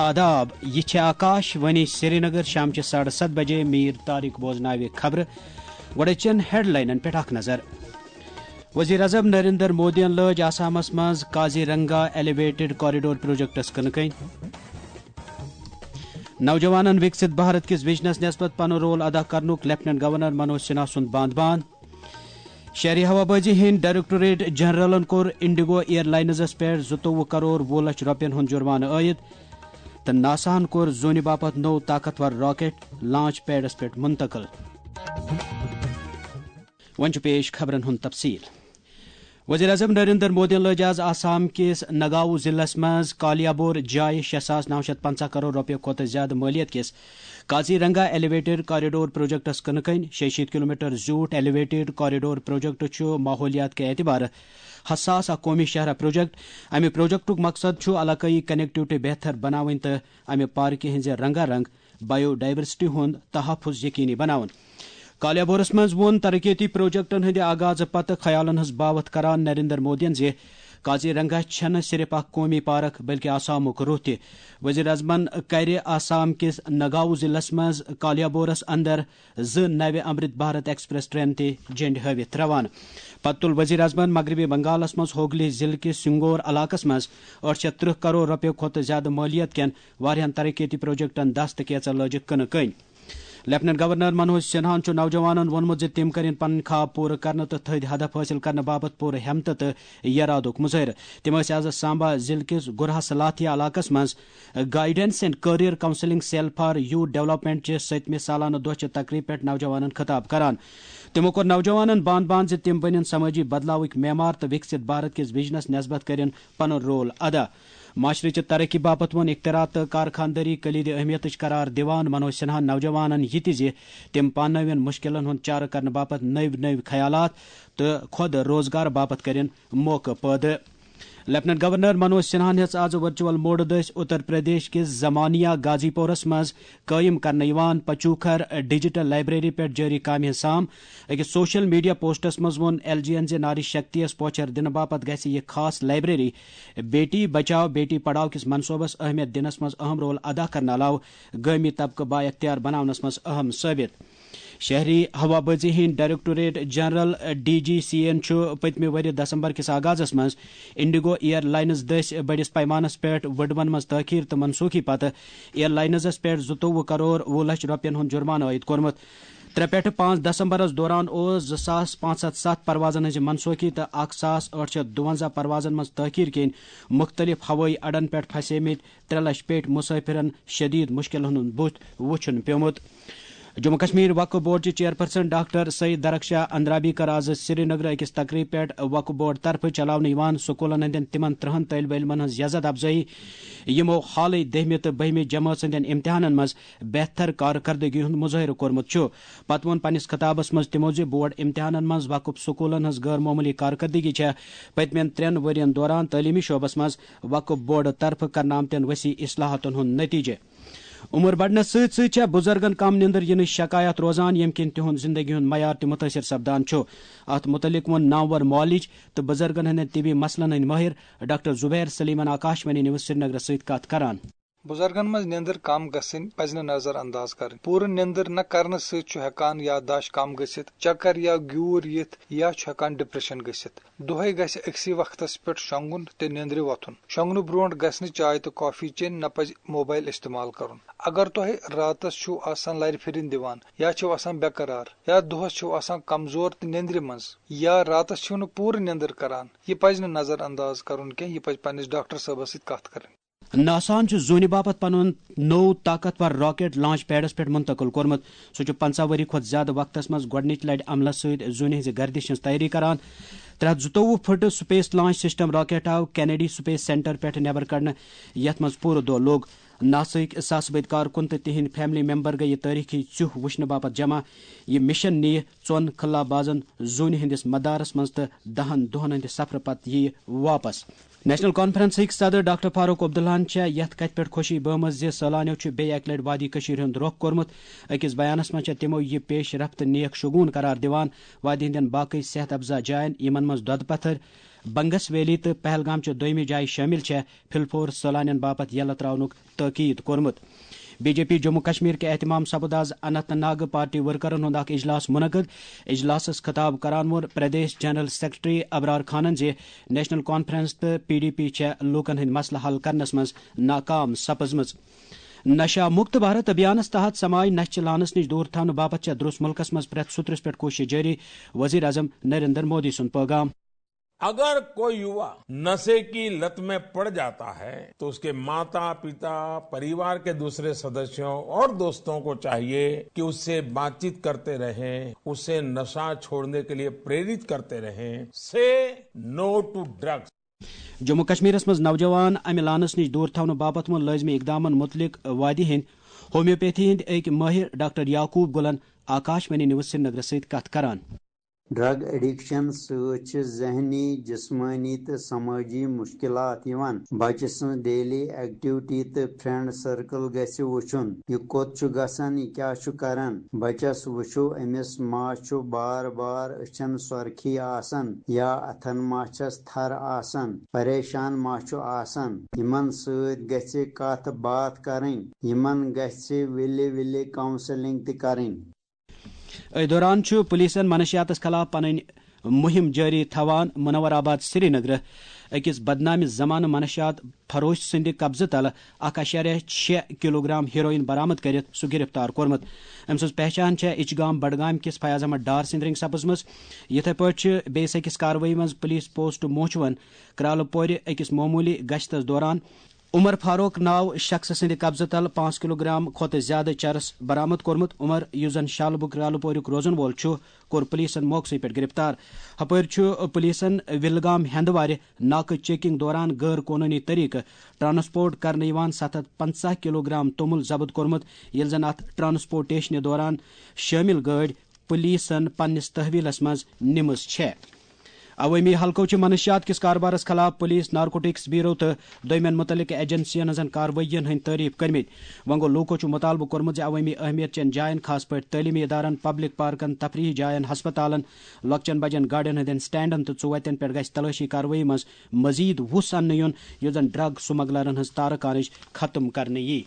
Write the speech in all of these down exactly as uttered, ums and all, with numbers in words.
آداب، یہِ چھِ آکاش وانی سرینگر۔ شامچہِ ساڑٕ ستھ بجے میٖر طارق بوزناوِ خبرٕ۔ گۄڈٕ چٮ۪ن ہیڈلاینن پٮ۪ٹھ اکھ نظر۔ وزیر اعظم نریندر مودیَن لٲج آسامس منٛز کازی رنگا ایلیویٹڈ کوریڈور پروجیکٹس کٕنہٕ کٔنۍ۔ نوجوانن وکست بھارت کِس وژنس نسبت پنُن رول ادا کرنُک لیفٹیننٹ گورنر منوج سنہا سُنٛد باند باند۔ شہری ہوابازی ہٕنٛدۍ ڈائریکٹوریٹ جنرلن کوٚر انڈیگو ایئر لائنزس پٮ۪ٹھ زٕتووُہ کرور وُہ لچھ رۄپین ہُنٛد جرمانہٕ عٲید تہٕ ناساہن کوٚر زوٗنہِ باپتھ نوٚو طاقتور راکٹ لانچ پیڈس پٮ۪ٹھ منتقل۔ وۄنۍ چھُ پیش خبرن ہُنٛد تفصیل۔ وزیر اعظم نریندر مودیَن لٲج آز آسام کِس نگاؤں ضلعس منٛز کالیابور جایہِ شےٚ ساس نو شیٚتھ پنٛژاہ کرور رۄپیہِ کھۄتہٕ زیادٕ مٲلیت کِس کازی رنگا ایلیویٹڈ کوریڈور پروجیکٹس کٕنہٕ کٔنۍ۔ شیٚیہِ شیٖتھ کلومیٹر زیوٗٹھ ایلیویٹڈ کوریڈور پروجیکٹ چھُ ماحولیات کہِ اعتبارٕ حساس اکھ قومی شاہراہ پروجیکٹ۔ امہِ پروجیکٹُک مقصد چھُ علاقٲیی کنیکٹیوٹی بہتر بناوٕنۍ تہٕ امہِ پارکہِ ہٕنٛزِ رنگا رنگ بایو ڈائیورسٹی ہُنٛد تحفظ یقینی بناوُن۔ کالیابورس منٛز ووٚن ترقیتی پروجیکٹن ہٕنٛدِ آغازٕ پتہٕ خیالن ہٕنٛز باوتھ کران نریندر مودیَن زِ کازی رنگا چھَنہٕ صرف اکھ قومی پارک بلکہ آسامُک روح تہِ۔ وزیر اعظمن کرِ آسام کِس نگاؤں ضلعس منٛز کالیابورس اندر زٕ نوِ امرت بھارت ایکسپریس ٹرین تہِ جھنڈِ ہٲوِتھ روانہٕ۔ پتہٕ تُل وزیر اعظمن مغربی بنگالس منٛز ہوگلی ضلعہٕ کِس سنگور علاقس منٛز ٲٹھ شیٚتھ ترٕٛہ کرور رۄپیہِ کھۄتہٕ زیادٕ مٲلیت کٮ۪ن واریاہن ترقیتی پروجیکٹن دست کیژر لٲجِکھ کٕنہٕ کٔنۍ۔ لیفٹیننٹ گورنر منوج سنہاہن چھُ نوجوانن ووٚنمُت زِ تِم کٔرِن پنٕنۍ خواب پوٗرٕ کرنہٕ تہٕ تھٔدۍ ہدف حٲصِل کرنہٕ باپتھ پوٗرٕ ہمت تہٕ یرادُک مظٲہرٕ۔ تِم ٲسۍ آز سامبا ضلعہٕ کِس گُرہس لاتھیا علاقس منٛز guidance and career counselling cell for youth development چہِ سٔتمہِ سالانہٕ دۄہ چہِ تقریبہِ پٮ۪ٹھ نوجوانن خطاب کران۔ تِمو کوٚر نوجوانن باند باند زِ تِم بٔنِن سمٲجی بدلاوٕکۍ معمار تہٕ وکست بھارت کِس وژنس نسبت کٔرِن پنُن رول ادا۔ معاشرٕچہِ ترقی باپتھ ووٚن اختراع تہٕ کارخاندٲری کلیدِ اہمیتٕچ قرار دِوان منوج سنہاہن نوجوانن یہِ تہِ زِ تِم پانہٕ نٲوِن مُشکِلن ہُنٛد چارٕ کرنہٕ باپتھ نٔوۍ نٔوۍ خیالات تہٕ خۄد روزگار باپتھ کٔرِن موقعہٕ پٲدٕ۔ لیفٹیننٹ گورنر منوج سنہاہن ہیٚژ آز ورچوئل موڈٕ دٔسۍ اتر پردیش کِس زمانیہ غازی پورس منٛز قٲیِم کرنہٕ یِوان پچوکھر ڈیجیٹل لائبریری پٮ۪ٹھ جٲری کامہِ ہٕنٛز سام۔ أکِس سوشل میڈیا پوسٹس منٛز ووٚن ایل جی یَن زِ ناری شکتی یَس پوچھر دِنہٕ باپتھ گژھِ یہِ خاص لائبریری بیٹی بچاؤ بیٹی پڑھاؤ کِس منصوبس اہمیت دِنس منٛز اہم رول ادا کرنہٕ علاوٕ گٲمی طبقہٕ با اختیار بناونس منٛز اہم ثٲبت۔ شہری ہوابازی ہٕنٛدۍ directorate general, D G C, یَن چھُ پٔتمہِ ؤرۍ دسمبر کِس آغازس منٛز انڈیگو ایئر لائنز دٔسۍ بٔڑِس پیمانس پٮ۪ٹھ وُڈوَن منٛز تٲخیر تہٕ منسوخی پتہٕ ایئر لائنزس پٮ۪ٹھ زٕتووُہ کرور وُہ لچھ رۄپین ہُنٛد جرمانہٕ عائد کوٚرمُت۔ ترٛےٚ پٮ۪ٹھٕ پانٛژھ دسمبرس دوران اوس زٕ ساس پانٛژھ ہتھ ستھ پروازن ہٕنٛزِ منسوخی تہٕ اکھ ساس ٲٹھ شیٚتھ دُوَنزاہ پروازن منٛز تٲخیر کِنۍ مُختٔلِف ہوٲیی اڈن پٮ۪ٹھ پھسیمٕتۍ ترٛےٚ لچھ پیٹھۍ مسافرن شدید مشکلن ہُنٛد بُتھ وُچھُن پیومُت۔ جموں کشمیر وقف بورڈ چہِ چیئرپرسن ڈاکٹر سید درخشاہ اندرابی کٔر آز سرینگر أکِس تقریبہِ پٮ۪ٹھ وقف بورڈ طرفہٕ چلاونہٕ یِوان سکوٗلن ہٕنٛدٮ۪ن تِمن ترٕٛہن طٲلبہِ علمن ہٕنٛز یزتھ افزٲیی، یِمو حالٕے دٔہمہِ تہٕ بٔہمہِ جمٲژ ہٕنٛدٮ۪ن امتحانن منٛز بہتر کارکردگی ہُنٛد مظٲہرٕ کوٚرمُت چھُ۔ پتہٕ ووٚن پننِس خطابس منٛز تِمو زِ بورڈ امتحانن منٛز وقف سکوٗلن ہٕنٛز غٲر معموٗلی کارکردگی چھےٚ پٔتمٮ۪ن ترٛٮ۪ن ؤرین دوران تعلیمی شعبس منٛز وقف بورڈ طرفہٕ کرنہٕ آمتٮ۪ن وسیع اصلاحاتن ہُنٛد نتیجہٕ۔ عمر بڑنس سۭتۍ سۭتۍ چھےٚ بُزرگن کم نیندر یِنٕچ شکایت روزان، ییٚمہِ کِنۍ تِہُنٛد زندگی ہُنٛد معیار تہِ مُتٲثر سپدان چھُ۔ اتھ مُتعلق ووٚن نامور معالج تہٕ بُزرگن ہٕنٛدٮ۪ن طبی مسلن ہٕنٛدۍ مٲہِر ڈاکٹر زبیر سلیمن آکاشوانی نیوز سرینگرس سۭتۍ کتھ کران۔ بُزرگن منٛز نیندر کم گژھٕنۍ پزِ نہٕ نظر انداز کرٕنۍ۔ پوٗرٕ نیندر نہ کرنہٕ سۭتۍ چھُ ہٮ۪کان یادداشت کم گٔژھِتھ، چکر یا گیوٗر یِتھ یا چھُ ہٮ۪کان ڈپریشن گٔژھِتھ۔ دۄہے گژھِ أکسٕے وقتس پٮ۪ٹھ شۄنگُن تہٕ نیندرِ وۄتھُن۔ شۄنگنہٕ برونٹھ گژھِ نہٕ چاے تہٕ کافی چیٚنۍ، نہ پزِ موبائل استعمال کرُن۔ اگر تۄہہِ راتس چھِو آسان لرِ پھِرِنۍ دِوان یا چھِو آسان بے قرار یا دۄہس چھِو آسان کمزور تہٕ نیندرِ منٛز یا راتس چھِو نہٕ پوٗرٕ نیندر کران، یہِ پزِ نہٕ نظر انداز کرُن کینٛہہ، یہِ پزِ پننِس ڈاکٹر صٲبس سۭتۍ کتھ کرٕنۍ۔ ناساہن چھُ زوٗنہِ باپتھ پنُن نوٚو طاقتور راکٹ لانچ پیڈس پٮ۪ٹھ منتقل کوٚرمُت۔ سُہ چھُ پنٛژاہ ؤری کھۄتہٕ زیادٕ وقتس منٛز گۄڈٕنِچ لٹہِ عملس سۭتۍ زوٗنہِ ہٕنٛزِ گردشہِ ہٕنٛز تیٲری کران۔ ترٛےٚ ہتھ زٕتووُہ foot space launch system rocket آو کینیڈی سپیس سینٹر پٮ۪ٹھ نٮ۪بر کڑنہٕ، یتھ منٛز پوٗرٕ دۄہ لوٚگ۔ ناساہٕکۍ ساسہٕ بٔدۍ کارکُن تہٕ تِہنٛدۍ فیملی ممبر گٔیہِ یہِ تٲریخی ژیوٚہ وٕچھنہٕ باپتھ جمع۔ یہِ مشن نِیہِ ژۄن خلا بازن زوٗنہِ ہٕنٛدِس مدارس منٛز تہٕ دہن دۄہن ہٕنٛدِ سفرٕ پتہٕ یِیہِ واپس۔ نیشنل کانفرنسٕکۍ صدر ڈاکٹر فاروق عبداللہن چھےٚ یتھ کتھِ پٮ۪ٹھ خوشی بٲومٕژ زِ سٲلانیو چھُ بیٚیہِ اکہِ لٹہِ وادی کٔشیٖرِ ہُنٛد رۄخ کوٚرمُت۔ أکِس بیانس منٛز چھےٚ تِمو یہِ پیش رفت نیک شگوٗن قرار دِوان۔ وادی ہٕنٛدٮ۪ن باقٕے صحت افزا جاین، یِمن منٛز دۄدٕ پتھر، بنگس ویلی تہٕ پہلگام چہِ دوٚیمہِ جایہِ شٲمِل چھےٚ پھِلفور سٲلانٮ۪ن باپتھ یلہٕ ترٛاونُک تٲکیٖد کوٚرمُت۔ B J P Jammu Kashmir کہِ اہتمام سپُد آز اننت ناگ پارٹی ورکرن ہُنٛد اکھ اجلاس منعقد۔ اجلاسس خطاب کران ووٚن پردیش جنرل سیکرٹری ابرار خانن زِ نیشنل کانفرنس تہٕ پی ڈی پی چھےٚ لوٗکن ہٕنٛدۍ مسلہٕ حل کرنس منٛز ناکام سپٕزمٕژ۔ نشہ مکت بھارت ابھیانس تحت سماج نشہ چہِ لانس نش دور تھاونہٕ باپتھ چھےٚ درس ملکس منٛز پرٛٮ۪تھ سُترس پٮ۪ٹھ کوشش جٲری، وزیر اعظم نریندر مودی سُنٛد پیغام۔ अगर कोई युवा नशे की लत में पड़ जाता है तो उसके माता पिता, परिवार के दूसरे सदस्यों और दोस्तों को चाहिए कि उससे बातचीत करते रहें, उसे नशा छोड़ने के लिए प्रेरित करते रहें। Say no to drugs. Jammu کشمیرس منٛز نوجوان امہِ لانس نِش دوٗر تھاونہٕ باپتھ ووٚن لٲزمی اقدامن مُتعلق وادی ہٕنٛدۍ ہومیوپیتھی ہٕنٛدۍ أکۍ مٲہِر ڈاکٹر یعقوب گُلن آکاش وانی نیوز سرینگرس سۭتۍ کتھ کران۔ ڈرگ ایڈکشن سۭتۍ چھِ ذہنی، جسمٲنی تہٕ سمٲجی مشکلات یِوان۔ بچہٕ سٕنٛز ڈیلی ایکٹیوٹی تہٕ فرینڈ سرکل گژھِ وٕچھُن۔ یہِ کوٚت چھُ گژھان، یہِ کیٛاہ چھُ کران۔ بچس وٕچھِو، أمِس ما چھُ بار بار أچھن سۄرخی آسان یا اتھن ما چھس تھر آسان، پریشان ما چھُ آسان۔ یِمن سۭتۍ گژھِ کتھ باتھ کرٕنۍ۔ یِمن گژھِ وِلہِ وِلہِ کاونسلنگ تہِ کرٕنۍ۔ أتھۍ دوران چھُ پولیسن منشیاتس خلاف پنٕنۍ مُہِم جٲری تھاوان۔ منور آباد سرینگرٕ أکِس بدنامہِ زمانہٕ منشیات فروش سٕنٛدِ قبضہٕ تلہٕ اکھ اَشاریہ شےٚ کلوگرام ہیروئن برآمد کٔرِتھ سُہ گرفتار کوٚرمُت۔ أمۍ سٕنٛز پہچان چھےٚ اِچگام بڈگام کِس فیاض احمد ڈار سٕنٛدِ رنٛگۍ سپٕزمٕژ۔ یِتھے پٲٹھۍ چھِ بیٚیِس أکِس کاروٲیی منٛز پولیس پوسٹ موچوَن کرالہٕ پورِ أکِس معموٗلی گشتس دوران عمر فاروق ناو شخص سٕنٛدِ قبضہٕ تل پانٛژھ کلوگرام کھۄتہٕ زیادٕ چرس برآمد کوٚرمُت۔ عمر، یُس زن شالبُگ کرالہٕ پوریُک روزن وول چھُ، کوٚر پولیسن موقعہٕ پٮ۪ٹھ گرفتار۔ ہپٲرۍ چھُ پولیسن وِلگام ہیندوارِ ناکہٕ چیکنگ دوران غٲر قونوٗنی طریقہٕ ٹرانسپورٹ کرنہٕ یِوان ستھ ہتھ پنژاہ کلوگرام توٚمُل ضبط کوٚرمُت، ییٚلہِ زن اتھ ٹرانسپورٹیشنہِ دوران شٲمِل گٲڑۍ پولیسن پننِس تحویلس منٛز نِمٕژ چھےٚ۔ عوٲمی حلقو چھِ منشیات کِس کاربارس خلاف پولیس، نارکوٹکس بیورو تہٕ دوٚیمٮ۪ن مُتعلقہٕ ایجنسین ہٕنٛزن کاروٲیین ہٕنٛدۍ تعریف کٔرمٕتۍ۔ وۄنۍ گوٚو، لوٗکو چھُ مُطالبہٕ کوٚرمُت زِ عوٲمی اہمیت چٮ۪ن جاین، خاص پٲٹھۍ تعلیمی ادارن، پبلک پارکن، تفریحی جاین، ہسپتالن، لۄکچٮ۪ن بجٮ۪ن گاڑٮ۪ن ہٕنٛدٮ۪ن سٹینڈن تہٕ ژُوتٮ۪ن پٮ۪ٹھ گژھِ تلٲشی کاروٲیی منٛز مزید وُس اننہٕ یُن، یُتھ زن ڈرگ سمگلرن ہٕنٛز تارٕ کانٕج ختم کرنہٕ یِیہِ۔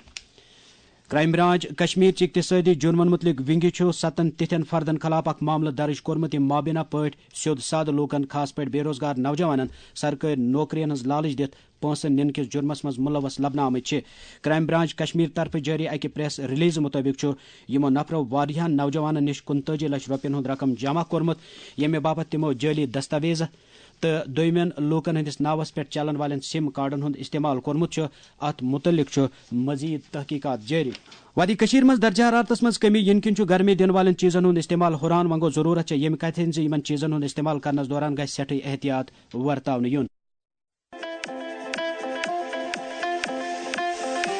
کرائم برانچ کشمیر چہِ اقتصٲدی جُرمن مُتعلق ونگہِ چھُ ستن تِتھٮ۪ن فردن خلاف اکھ معاملہٕ درٕج کوٚرمُت، یِم مابینہ پٲٹھۍ سیوٚد سادٕ لوٗکن، خاص پٲٹھۍ بے روزگار نوجوانن، سرکٲرۍ نوکرین ہٕنٛز لالچ دِتھ پونٛسہٕ نِنہٕ کِس جُرمس منٛز مُلوث لبنہٕ آمٕتۍ چھِ۔ کرائم برانچ کشمیر طرفہٕ جٲری اکہِ پریس ریلیز مُطٲبِق چھُ یِمو نفرو واریاہن نوجوانن نِش کُنتٲجی لچھ رۄپین ہُنٛد رقم جمع کوٚرمُت، ییٚمہِ باپتھ تِمو جعلی دستاویز تہٕ دوٚیمٮ۪ن لوٗکن ہٕنٛدِس ناوس پٮ۪ٹھ چلن والٮ۪ن سِم کارڈن ہُنٛد استعمال کوٚرمُت چھُ۔ اتھ مُتعلق چھُ مزید تحقیقات جٲری۔ وادی کٔشیٖر منٛز درجہ حرارتس منٛز کٔمی یِنہٕ کِنۍ چھُ گرمی دِنہٕ والٮ۪ن چیٖزن ہُنٛد استعمال ہُران۔ وۄنۍ گوٚو، ضروٗرت چھےٚ ییٚمہِ کتھِ ہٕنٛز زِ یِمن چیٖزن ہُنٛد استعمال کرنس دوران گژھِ سٮ۪ٹھٕے احتیاط ورتاونہٕ یُن۔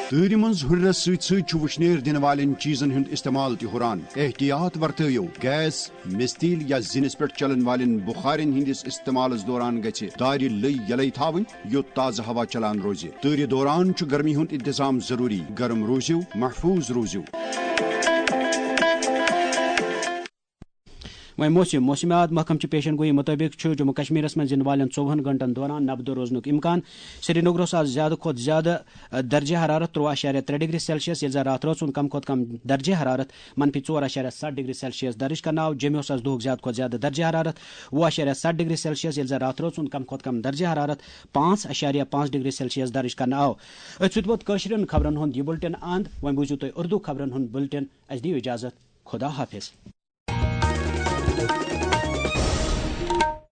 تۭرِ منٛز ہُرنس سۭتۍ سۭتۍ چھُ وُشنیر دِنہٕ والٮ۪ن چیٖزن ہُنٛد استعمال تہِ ہُران۔ احتیاط ورتٲیِو۔ گیس، مستیل یا زِنِس پٮ۪ٹھ چلن والٮ۪ن بخارٮ۪ن ہٕنٛدِس استعمالس دوران گژھِ دارِ لٔۍ یلے تھاوٕنۍ، یوٚت تازٕ ہوا چلان روزِ۔ تۭرِ دوران چھُ گرمی ہُنٛد انتظام ضروٗری۔ گرم روٗزِو، محفوٗظ روٗزِو۔ وۄنۍ موسم۔ موسمیات محکمہٕ چہِ پیشن گویی مُطٲبِق چھُ جموں کشمیرس منٛز یِنہٕ والٮ۪ن ژوٚوُہن گھنٹن دوران نبدٕ روزنُک امکان۔ سرینگرس آز زیادٕ کھۄتہٕ زیادٕ درجہ حرارت ترٛوٚوُہ اَشاریہ ترٛےٚ ڈگری سیلسیس، ییٚلہِ زن راتھ رٲژ ہُنٛد کم کھۄتہٕ کم درجہ حرارت منفی ژور اَشاریہ ستھ ڈگری سیلسیس درج کرنہٕ آو۔ جوٚمہِ اوس آز دُہُک زیادٕ کھۄتہٕ زیادٕ درجہ حرارت وُہ اَشاریہ ستھ ڈگری سیلسیس، ییٚلہِ زن راتھ رٲژ ہُنٛد کم کھۄتہٕ کم درجہ حرارت پانٛژھ اَشاریہ پانٛژھ ڈگری سیلسیس درج کرنہٕ آو۔ أتھۍ سۭتۍ ووت کٲشرٮ۪ن خبرن ہُنٛد یہِ بُلٹن اند۔ وۄنۍ بوٗزِو تُہۍ اُردو خبرن ہُنٛد بُلٹن۔ اَسہِ دِیِو اجازت۔ خدا حافظ۔